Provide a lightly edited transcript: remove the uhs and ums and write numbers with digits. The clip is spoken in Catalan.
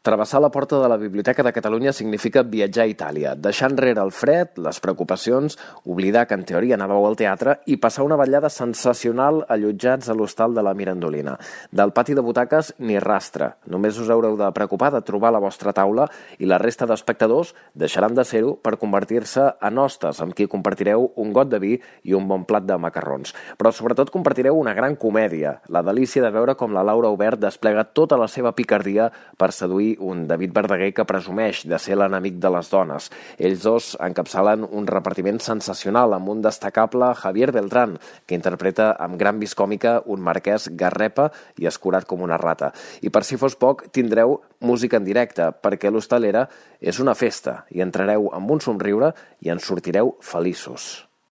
Travessar la porta de la Biblioteca de Catalunya significa viatjar a Itàlia, deixar enrere el fred, les preocupacions, oblidar que en teoria anàveu al teatre i passar una vetllada sensacional allotjats a l'hostal de la Mirandolina. Del pati de butaques ni rastre. Només us haureu de preocupar de trobar la vostra taula i la resta d'espectadors deixaran de ser-ho per convertir-se en hostes amb qui compartireu un got de vi i un bon plat de macarrons. Però sobretot compartireu una gran comèdia, la delícia de veure com la Laura Obert desplega tota la seva picardia per seduir un David Verdaguer que presumeix de ser l'enemic de les dones. Ells dos encapçalen un repartiment sensacional amb un destacable Javier Beltrán, que interpreta amb gran vis còmica un marquès garrepa i escurat com una rata. I per si fos poc, tindreu música en directe, perquè l'Hostalera és una festa i entrareu amb un somriure i en sortireu feliços.